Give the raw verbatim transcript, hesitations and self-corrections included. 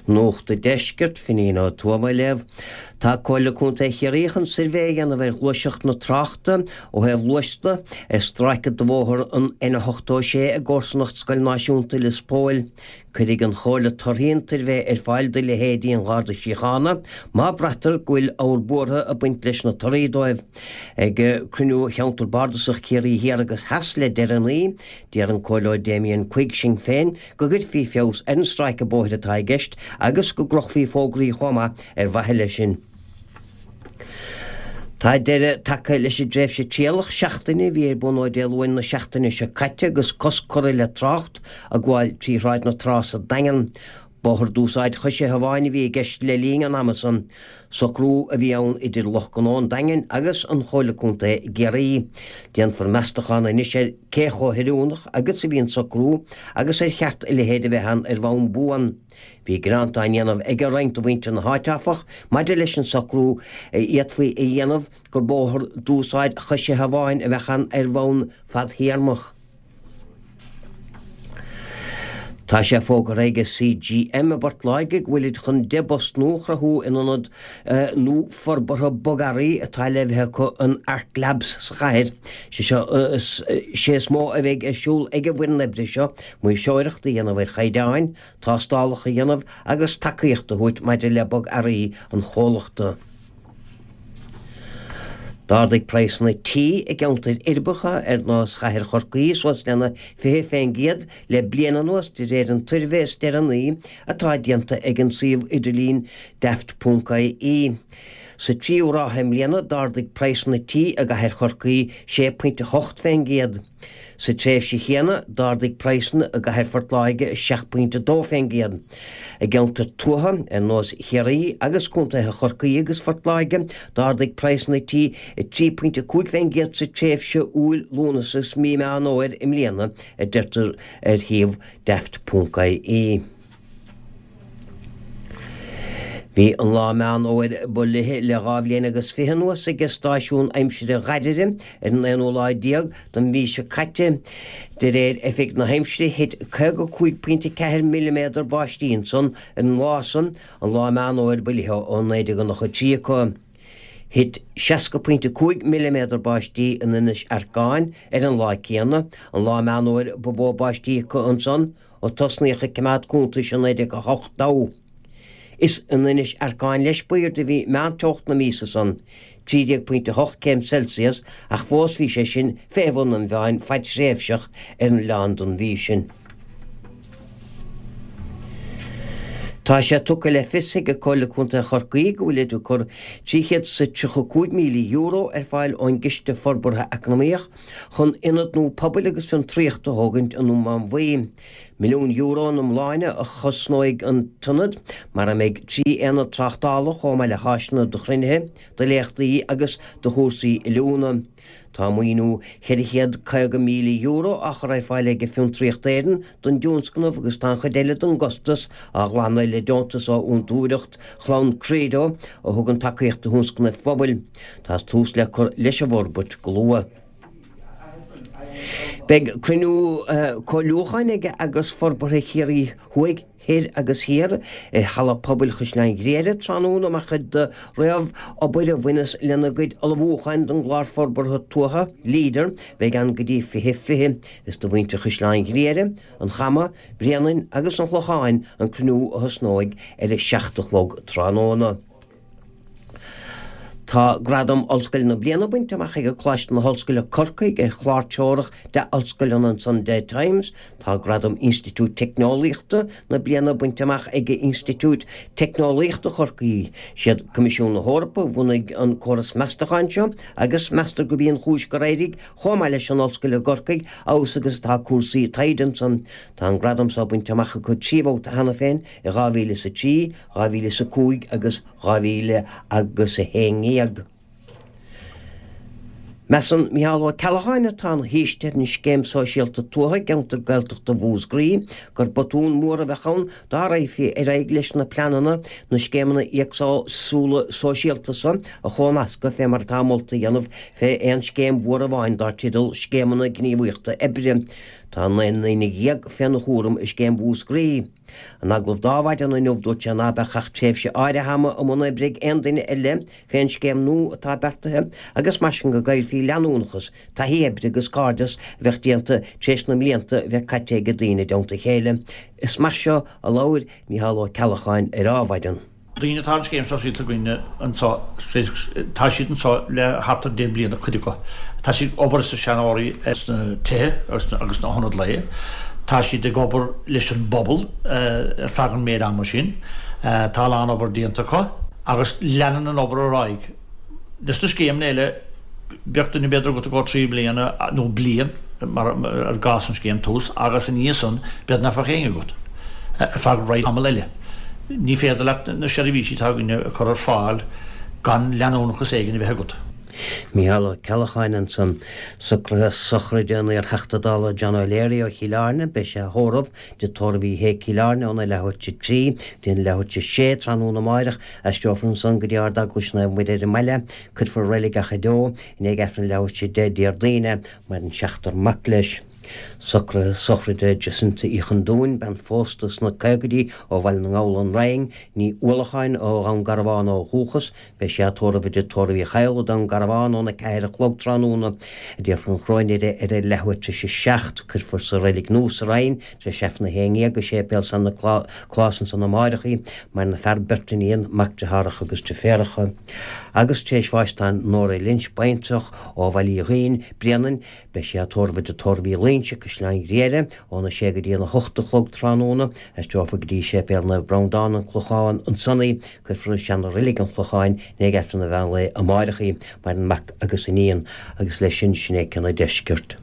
Nuacht an Deiscirt, Finín Ó Tuama á léamh. Tá Comhairle Contae Chiarraí chun suirbhé a dhéanamh ar ghluaiseacht na tráchta ó thaobh luais de ar stráice de bhóthar an N ochtó sé i gcomharsanacht Scoil Náisiúnta Lios Póil. Cuirfidh an Chomhairle torthaí an tsuirbhé ar fáil do leithéidí an Gharda Síochána má braitear go bhfuil ábhar buartha ag baint leis na torthaí dóibh. Ag cruinniú Cheantar Bardasach Chiarraí Thiar agus Theas le deireanaí, d'iarr an Comhairleoir Damien Quigg, Sinn Féin, go gcuirfí feabhas ar an stráice bóthair atá i gceist agus go gcrochfaí fógraí chomh maith ar mhaithe leis sin. Tá deireadh tagtha leis an dtréimhse trialach seachtaine a bhí ar bun ó Dé Luain na seachtaine seo caite agus cosc curtha le trácht ag gabháil trí Shráid na Trá sa Daingean. Bóthar d'úsáid choisithe amháin a bhí i gceist le linn an ama san. Socrú a bhí ann idir lucht gnó an Daingin agus an Chomhairle Contae i gCiarraí. Déanfar meastachán anois ar cé chomh hoiriúnach agus a bhí an socrú agus ar cheart a leithéid a bheith ann ar bhonn buan. Bhí gearáin á ndéanamh ag roinnt de mhuintir na háite, áfach, maidir leis an socrú a fhéadfaí a dhéanamh gur bóthar d'úsáid choisithe amháin a bheadh ann ar bhonn fadthéarmach. Tá sé fógartha ag C G M i bPort Láirge go bhfuilid chun deich bpost nua a chruthú in ionad nua forbartha bogearraí atá le bheith acu in Art Labs sa chathair. Sé seo sé is mó a bheidh ar siúl ag an bhfoireann oibre seo maoirseoireacht a dhéanamh ar chaighdeáin, tástálacha a dhéanamh agus tacaíocht a thabhairt maidir le bogearraí an chomhlachta. D'ardaigh praghsanna tí i gceantair uirbeacha ar nós chathair Chorcaí suas lena fiche faoin gcéad le bliain anuas de réir an tsuirbhé is deireanaí atá déanta ag an suíomh idirlín daft ponc I E. Sa tríú ráithe i mbliana d'ardaigh praghsanna tí i gcathair Chorcaí sé pointe hocht faoin gcéad. Sa tréimhse chéanna d'ardaigh praghsanna i gcathair Phort Láirge seacht pointe dó faoin gcéad. I gceantar tuaithe ar nós Chiarraí agus contaetha Chorcaí agus Phort Láirge d'ardaigh praghsanna tí trí pointe cúig faoin gcéad sa tréimhse Iúil, Lúnasa agus mí Meán Fómhair i mbliana, a deirtear ar shuíomh daft ponc I E. Bhí an lá Meán Fómhair ba fhliche le dhá bhliain agus fiche anuas ag stáisiún aimsire Ghairire ar an aonú lá déag den mhí seo caite. De réir Oifig na hAimsire thit caoga cúig pointe ceathair milliméadar báistí ansan ar an lá san, an lá Meán Fómhair ba fhliche ó naoi déag nócha trí acu. Thit seasca pointe cúig milliméadar báistí in Inis Arcáin ar an lá céanna, an lá Meán Fómhair ba mhó báistí acu ansan ó tosnaíodh ag coimeád cuntais i naoi déag a hocht dó. Is in Inis Arcáin leis ba airde a bhí meánteocht na míosa san, trí déag pointe hocht céim Celsius, ach fós bhí sé sin fé bhun an mheáin fadtréimhseach ar an oileán don mhí sin. Tá sé tugtha le fios ag Comhairle Contae Chorcaí go bhfuil ag cur trí chéad is tríocha cúig míle euro ar fáil ón gCiste Forbartha Eacnamaíoch chun ionad nua pobail agus fiontraíochta a thógaint i nDún Mánmhaí. Milliún euro in iomláine a chosnóidh an t-ionad, mar a mbeidh trí aonad tráchtála chomh maith le háiseanna do chruinnithe, do léachtaí agus do chúrsaí oiliúna. Tá maoiniú ceithre chéad caoga míle euro á chur ar fáil ag Fiontraíocht Éireann don tionscnamh agus tá an chuid eile den gcostas á ghlanadh le deontas ó Fhondúireacht Chlann Credo a thugann tacaíocht do thionscnaimh phobail. Tá tús le cur leis an bhforbairt go luath. Beidh cruinniú comhairliúcháin ag Eagras Forbartha Chiarraí Thuaidh, Thoir agus Thiar i Halla Pobail Chaisleán Ghriaire tráthnóna mar chuid de réamhobair a bhaineas lena gcuid ullmhúcháin don gclár forbartha tuaithe Leader bheidh ann go dtí fiche fiche. Is do mhuintir Chaisleán Ghriaire, an Chama, Bréanainn agus an Chlocháin an cruinniú a thosnóidh ar a seacht a chlog tráthnóna. Tá gradam Ollscoil na Bliana bainte amach ag Coláiste na hOllscoile Corcaigh ar chlár treorach de ollscoileanna an Sunday Times. Tá gradam Institiúid Teicneolaíochta na Bliana bainte amach ag Institiúid Teicneolaíochta Chorcaí. Siad Coimisiún na hEorpa a bhunaigh an córas meastacháin seo agus meastar gurb í an chúis gur éirigh chomh maith leis an ollscoil i gCorcaigh abhus agus atá cúrsaí taighde ansan. Tá an gradam seo bainte amach acu trí bhabhta cheana féin i dhá mhíle is a trí, dhá mhíle is a cúig agus dhá mhíle agus a haon déag. Measann Micheál Ó Ceallacháin, atá ina shaoiste ar an scéim sóisialta tuaithe i gceantar Gaeltachta Mhúscraí, gur botún mór a bheadh ann dá raghfaí ar aghaidh leis na pleananna na scéimeanna éagsúla sóisialta seo a chónascadh fé mar atá molta a dhéanamh fé aon scéim mhór amháin dar teideal Scéimeanna Gníomhaíochta Oibre. Tá naoi ndaoine dhéag féna chúram i scéim Mhúscraí. In agallamh d'Adhmhaidin inniu dúirt sé ná beadh ach tréimhse áirithe ama i mbun oibre ag aon duine eile fén scéim nua atá beartaithe agus mar sin go gcaillfí leanúnachas, taithí oibre agus cairdeas a bheadh déanta tar éis na mblianta a bheith caite ag daoine i dteannta a chéile. Is mar seo a labhair Mícheál Ó Ceallacháin ar Adhmhaidin. Daoine atá ar an scéim sóisialta againne anseo, tá siad anseo le thart ar deich mbliana, cuid acu. Tá siad ag obair sna seanóirí sna tithe agus sna hionaid lae. Tá siad ag obair leis an bpobal ar feadh an méid ama sin. Tá a lán obair déanta acu agus leanann an obair ar aghaidh. Leis na scéimeanna eile, bheadh duine b'fhéidir agat i gcomhair trí bliana nó bliain, mar i gcás an scéim Tús, agus ina dhiaidh san b'fhéidir nach bheadh éinne agat ar feadh roinnt tamall eile. Ní féidir leat na seirbhísí atá againne a chur ar fáil gan leanúnachas éigin a bheith agat. Mícheál Ó Ceallacháin ansan. Socruithe sochraide an iar-Theachta Dála John O'Leary ó Chill Airne, beidh sé á thórramh i dTigh Tórraimh Uí Shé, Cill Airne, óna leathuair tar éis a trí go dtí an leathuair tar éis a sé tráthnóna amáireach. Aistreofar ansan go dtí Ard-Eaglais Naomh Muire ar an mbaile. Cuirfear i Reilig Achadh Eo i ndiaidh Aifreann leathuair tar éis a deich Déardaoin é. Maireann seachtar mac leis. Socruithe sochraide Jacinta Uí Chondúin, bean phósta sna caogaidí ó Bhaile na nGall, An Rinn, Ní Uallacháin ó Dhún Garbhán ó dhúchas. Beidh sí á tórramh i dTigh Tórraimh Uí Chadhla, Dún Garbhán, óna ceathair a chlog tráthnóna. Déarfar an choróin uirthi ar a leathuair tar éis a seacht. Cuirfear sa Reilig Nua sa Rinn tar éis Aifreann a haon dhéag i Séipéal San Nioclás ansan amáireach í. Maireann a fear, beirt iníon, mac, deartháireacha agus deirféaracha. Agus tar éis bháis tá Nóra Lynch, baintreach ó Bhaile Uí Dhuinn, Bréanainn, Beidh sí á tórramh i dTigh Tórraimh Uí Loingsigh, Caisleán Ghriaire, óna sé go dtí an a hocht a chlog tráthnóna. Aistreofar go dtí Séipéal Naomh Breandán, An Clochán, ansan í. Cuirfear i seana-reilig an Chlocháin i ndiaidh Aifreann an mheán lae amáireach í. Maireann mac agus iníon. Agus leis sin, sin é Ceann an Deiscirt.